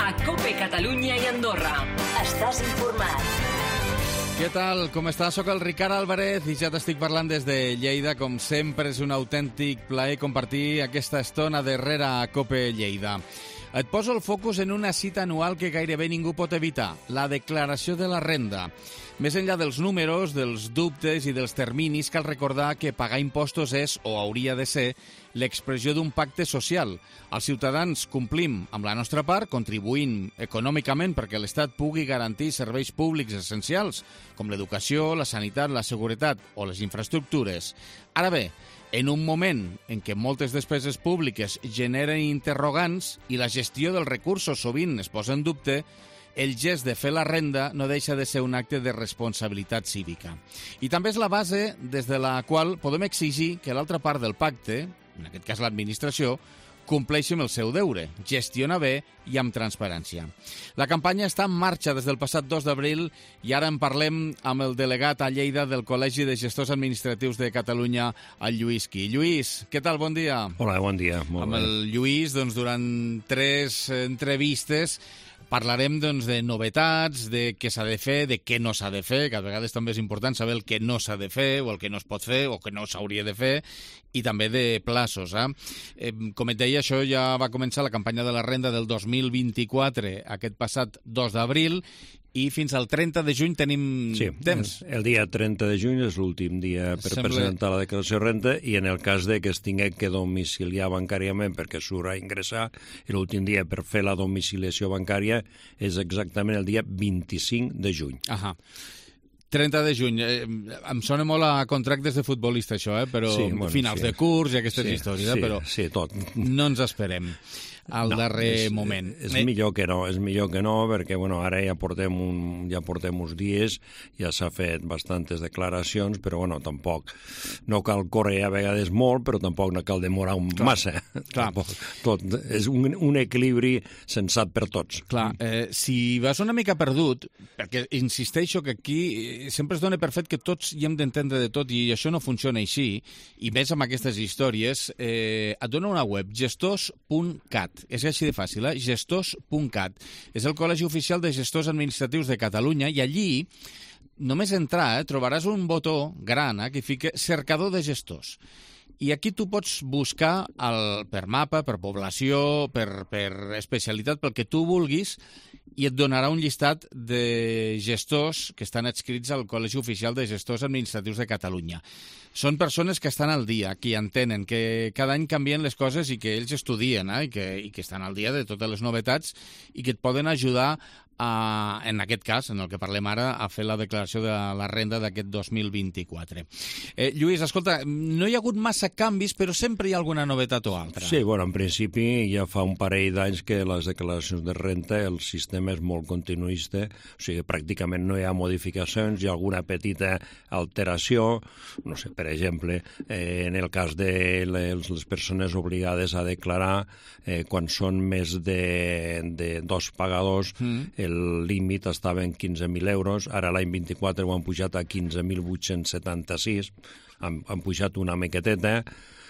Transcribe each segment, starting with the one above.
a COPE Catalunya i Andorra. Estàs informat. Què tal? Com estàs? Soc el Ricard Álvarez i ja t'estic parlant des de Lleida. Com sempre, és un autèntic plaer compartir aquesta estona darrere a COPE Lleida. Et poso el focus en una cita anual que gairebé ningú pot evitar, la declaració de la renda. Més enllà dels números, dels dubtes i dels terminis, cal recordar que pagar impostos és, o hauria de ser, l'expressió d'un pacte social. Els ciutadans complim amb la nostra part, contribuint econòmicament perquè l'Estat pugui garantir serveis públics essencials, com l'educació, la sanitat, la seguretat o les infraestructures. Ara bé, en un moment en què moltes despeses públiques generen interrogants i la gestió dels recursos sovint es posa en dubte, el gest de fer la renda no deixa de ser un acte de responsabilitat cívica. I també és la base des de la qual podem exigir que l'altra part del pacte, en aquest cas l'administració, compleixi amb el seu deure, gestiona bé i amb transparència. La campanya està en marxa des del passat 2 d'abril i ara en parlem amb el delegat a Lleida del Col·legi de Gestors Administratius de Catalunya, el Lluís Qui. Lluís, què tal? Bon dia. Hola, bon dia. Molt amb bé. El Lluís, durant 3 entrevistes parlarem de novetats, de què s'ha de fer, de què no s'ha de fer, que a vegades també és important saber el que no s'ha de fer o el que no es pot fer o que no s'hauria de fer, i també de plaços. Com et deia, això ja va començar la campanya de la renda del 2024 aquest passat 2 d'abril i fins al 30 de juny tenim temps. El dia 30 de juny és l'últim dia per presentar la declaració de renda i en el cas de que es tingui que domiciliar bancàriament perquè surt a ingressar, l'últim dia per fer la domiciliació bancària és exactament el dia 25 de juny. 30 de juny. Em sona molt a contractes de futbolista, això, però finals de curs i aquestes històries, però tot. No ens esperem al darrer moment. És millor que no, perquè ara ja portem uns dies, ja s'ha fet bastantes declaracions, però tampoc no cal córrer a vegades molt, però tampoc no cal demorar massa. Tot és un equilibri sensat per tots. Clar, si vas una mica perdut, perquè insisteixo que aquí sempre es dona per fet que tots hi hem d'entendre de tot i això no funciona així, i més amb aquestes històries, et dona una web, gestors.cat. És així de fàcil, gestors.cat. És el Col·legi Oficial de Gestors Administratius de Catalunya i allí, només entrar, trobaràs un botó gran que fica cercador de gestors. I aquí tu pots buscar per mapa, per població, per especialitat, pel que tu vulguis, i et donarà un llistat de gestors que estan adscrits al Col·legi Oficial de Gestors Administratius de Catalunya. Són persones que estan al dia, que entenen, que cada any canvien les coses i que ells estudien i que estan al dia de totes les novetats i que et poden ajudar en aquest cas, en el que parlem ara, a fer la declaració de la renda d'aquest 2024. Lluís, escolta, no hi ha hagut massa canvis, però sempre hi ha alguna novetat o altra. Sí, en principi ja fa un parell d'anys que les declaracions de renda, el sistema és molt continuista, o sigui, pràcticament no hi ha modificacions, hi ha alguna petita alteració, no sé, per exemple, en el cas de les persones obligades a declarar, quan són més de 2 pagadors, el límit estava en 15.000 euros, ara l'any 24 ho han pujat a 15.876, han pujat una miqueteta,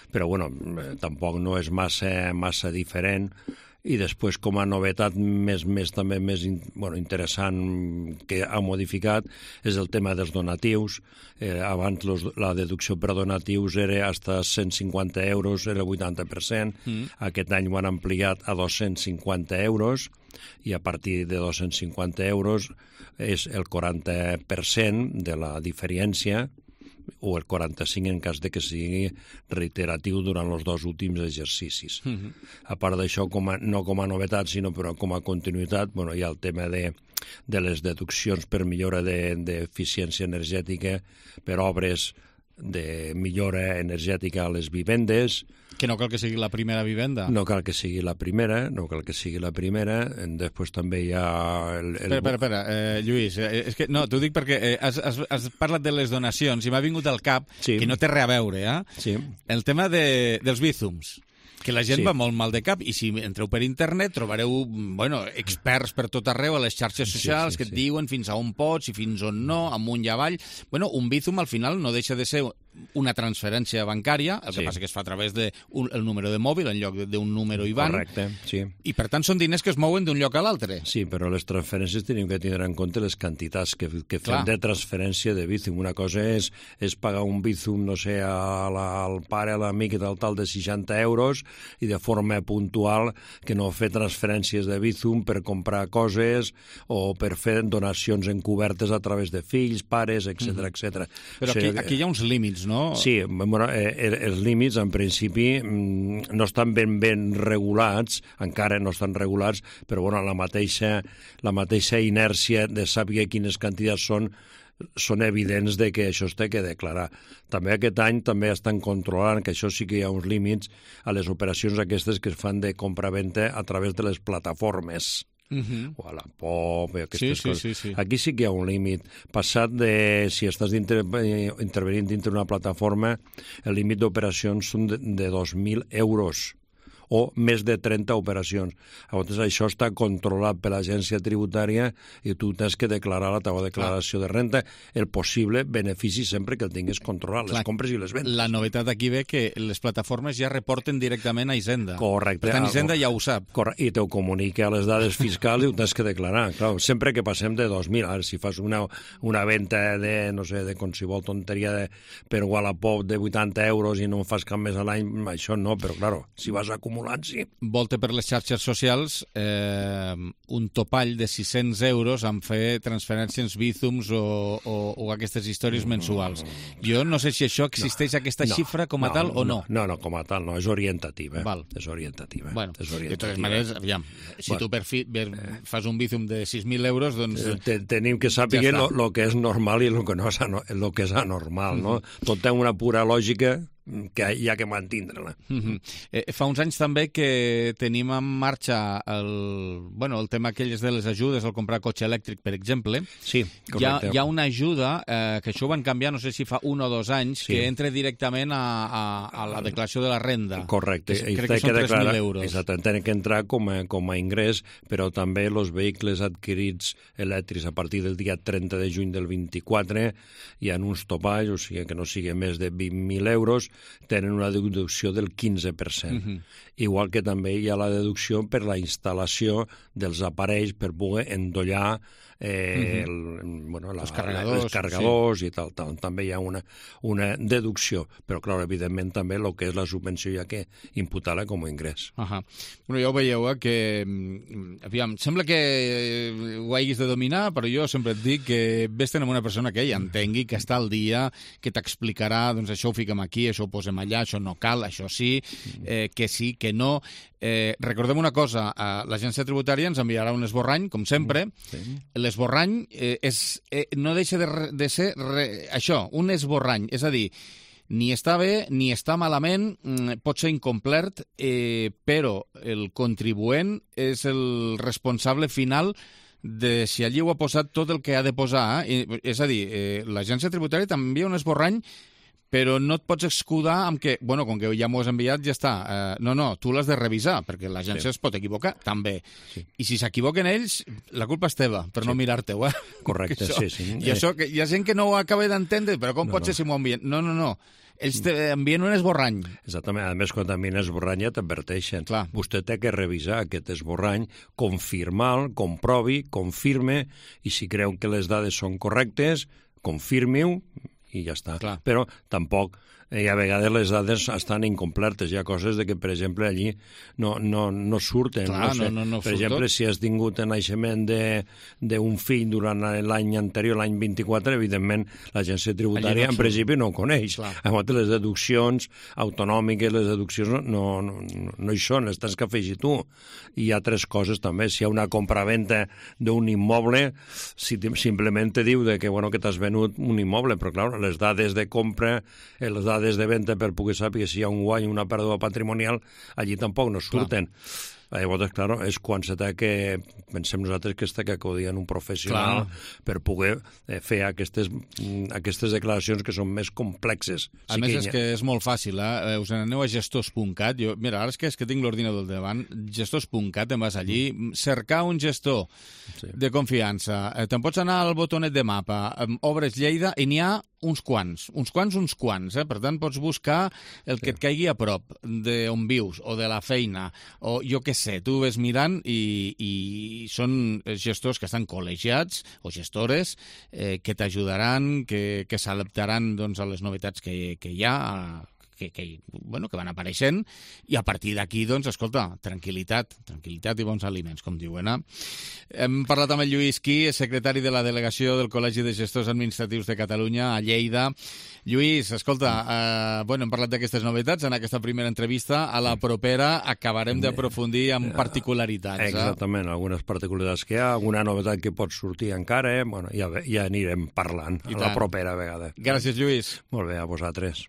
però tampoc no és massa diferent. I després, com a novetat també més interessant que ha modificat és el tema dels donatius. Abans la deducció per donatius era fins a 150 euros, era el 80%. Aquest any ho han ampliat a 250 euros i a partir de 250 euros és el 40% de la diferència o el 45% en cas de que sigui reiteratiu durant els 2 últims exercicis. A part d'això, no com a novetat, sinó però com a continuïtat, hi ha el tema de les deduccions per millora d'eficiència energètica, per obres de millora energètica a les vivendes. Que no cal que sigui la primera vivenda. No cal que sigui la primera. Després també hi ha... Espera, Lluís, és que no, t'ho dic perquè has parlat de les donacions i m'ha vingut al cap, que no té res a veure, el tema dels bízums. que la gent va molt mal de cap, i si entreu per internet trobareu experts per tot arreu a les xarxes socials que et diuen fins a on pots i fins on no, amunt i avall. Un Bizum al final no deixa de ser una transferència bancària, el que passa que es fa a través del número de mòbil en lloc d'un número IBAN. Correcte, sí. I per tant són diners que es mouen d'un lloc a l'altre. Sí, però les transferències tenim que tindre en compte les quantitats que fem de transferència de Bizum. Una cosa és pagar un Bizum, no sé, al pare, a l'amic i tal de 60 euros i de forma puntual, que no fer transferències de Bizum per comprar coses o per fer donacions encobertes a través de fills, pares, etc. Però aquí hi ha uns límits, no? Sí, bueno, els límits en principi no estan ben regulats, encara no estan regulats, però bueno, la mateixa inèrcia de saber quines quantitats són evidents de que això es té que declarar. També aquest any també estan controlant, que això sí que hi ha uns límits a les operacions aquestes que es fan de compra-venta a través de les plataformes. O a la POP, aquestes coses. Sí. Aquí sí que hi ha un límit. Passat de, si estàs intervenint dintre una plataforma, el límit d'operacions són de 2.000 euros o més de 30 operacions. Llavors, això està controlat per l'agència tributària i tu tens que declarar la teva declaració de renta, el possible benefici sempre que el tinguis controlat, les compres i les vendes. La novetat aquí ve que les plataformes ja reporten directament a Hisenda. Correcte. Per tant, Hisenda ja ho sap. I te ho comunica a les dades fiscals i ho tens que declarar. Clar, sempre que passem de 2.000, ara si fas una venda de, no sé, de qualsevol tonteria per Wallapop de 80 euros i no en fas cap més a l'any, això no, però claro, si vas acumulant, sí. Volta per les xarxes socials un topall de 600 euros en fer transferències Bizums o aquestes històries mensuals. Jo no sé si això existeix aquesta xifra com a tal o no. No, com a tal no, és orientativa. Val. És orientativa. Bueno, de totes maneres, aviam, si tu fas un Bizum de 6.000 euros, doncs... Tenim que saber el que és normal i el que és anormal, no? Tot té una pura lògica que hi ha que mantindre-la. Fa uns anys també que tenim en marxa el tema aquelles de les ajudes al comprar cotxe elèctric, per exemple. Sí, correcte. Hi ha una ajuda, que això ho van canviar, no sé si fa 1 o 2 anys, que entra directament a la declaració de la renda. Correcte. Crec que són 3.000 euros. Exactament, tenen que entrar com a ingrés, però també els vehicles adquirits elèctrics a partir del dia 30 de juny del 24 hi ha uns topalls, o sigui que no sigui més de 20.000 euros, tenen una deducció del 15%. Igual que també hi ha la deducció per la instal·lació dels aparells per poder endollar els carregadors i tal. També hi ha una deducció, però clar, evidentment també el que és la subvenció hi ha que imputar-la com a ingrés. Bueno, ja ho veieu, que aviam, sembla que ho haguis de dominar, però jo sempre et dic que vés-te'n amb una persona que hi entengui, que està al dia, que t'explicarà, doncs això ho fiquem aquí, això ho posem allà, això no cal, això sí, que no. Recordem una cosa, l'agència tributària ens enviarà un esborrany, com sempre. L'esborrany no deixa de ser això, un esborrany, és a dir, ni està bé ni està malament, pot ser incomplert, però el contribuent és el responsable final de si allí ho ha posat tot el que ha de posar. És a dir, l'agència tributària t'envia un esborrany, però no et pots escudar amb que, bueno, com que ja m'ho has enviat, ja està. No, tu l'has de revisar, perquè l'agència es pot equivocar, també. I si s'equivoquen ells, la culpa és teva, per no mirar-te-ho, Correcte, sí. I això, hi ha gent que no ho acaba d'entendre, però com pot ser si m'ho envien? No. Ells envien un esborrany. Exactament. A més, quan t'envien esborrany ja t'adverteixen. Vostè té que revisar aquest esborrany, confirmar-lo, comprovi, confirme, i si creu que les dades són correctes, confirmi-ho, i ja està. Però tampoc, a vegades les dades estan incompletes. Hi ha coses de que, per exemple, allí no surten. Per exemple, si has tingut el naixement d'un fill durant l'any anterior, l'any 24, evidentment l'agència tributària en principi no ho coneix. Llavors, les deduccions autonòmiques, les deduccions no hi són, les tens que afegir tu. I hi ha altres coses també. Si hi ha una compra-venta d'un immoble, simplement te diu que t'has venut un immoble, però clar, les dades de compra, les dades de venda per poder saber si hi ha un guany o una pèrdua patrimonial, allí tampoc no surten. Llavors, claro, és quan se té que, pensem nosaltres, que està que acudien un professional per poder fer aquestes declaracions que són més complexes. A més, és que és molt fàcil, us n'aneu a gestors.cat. Mira, ara és que tinc l'ordinador davant, gestors.cat, te'n vas allí, cercar un gestor de confiança. Te'n pots anar al botonet de mapa, obres Lleida i n'hi ha uns quants. Per tant, pots buscar el que et caigui a prop d'on vius o de la feina, o jo què sé, tu ves mirant i són gestors que estan col·legiats o gestores que t'ajudaran, que s'adaptaran doncs, a les novetats que hi ha, que van apareixent, i a partir d'aquí, doncs, escolta, tranquil·litat i bons aliments, com diuen. Hem parlat amb el Lluís Qui, secretari de la delegació del Col·legi de Gestors Administratius de Catalunya a Lleida. Lluís, escolta, hem parlat d'aquestes novetats en aquesta primera entrevista. A la propera acabarem d'aprofundir en particularitats. Exactament, algunes particularitats que hi ha, alguna novetat que pot sortir encara, ja anirem parlant a la propera vegada. Gràcies, Lluís. Molt bé, a vosaltres.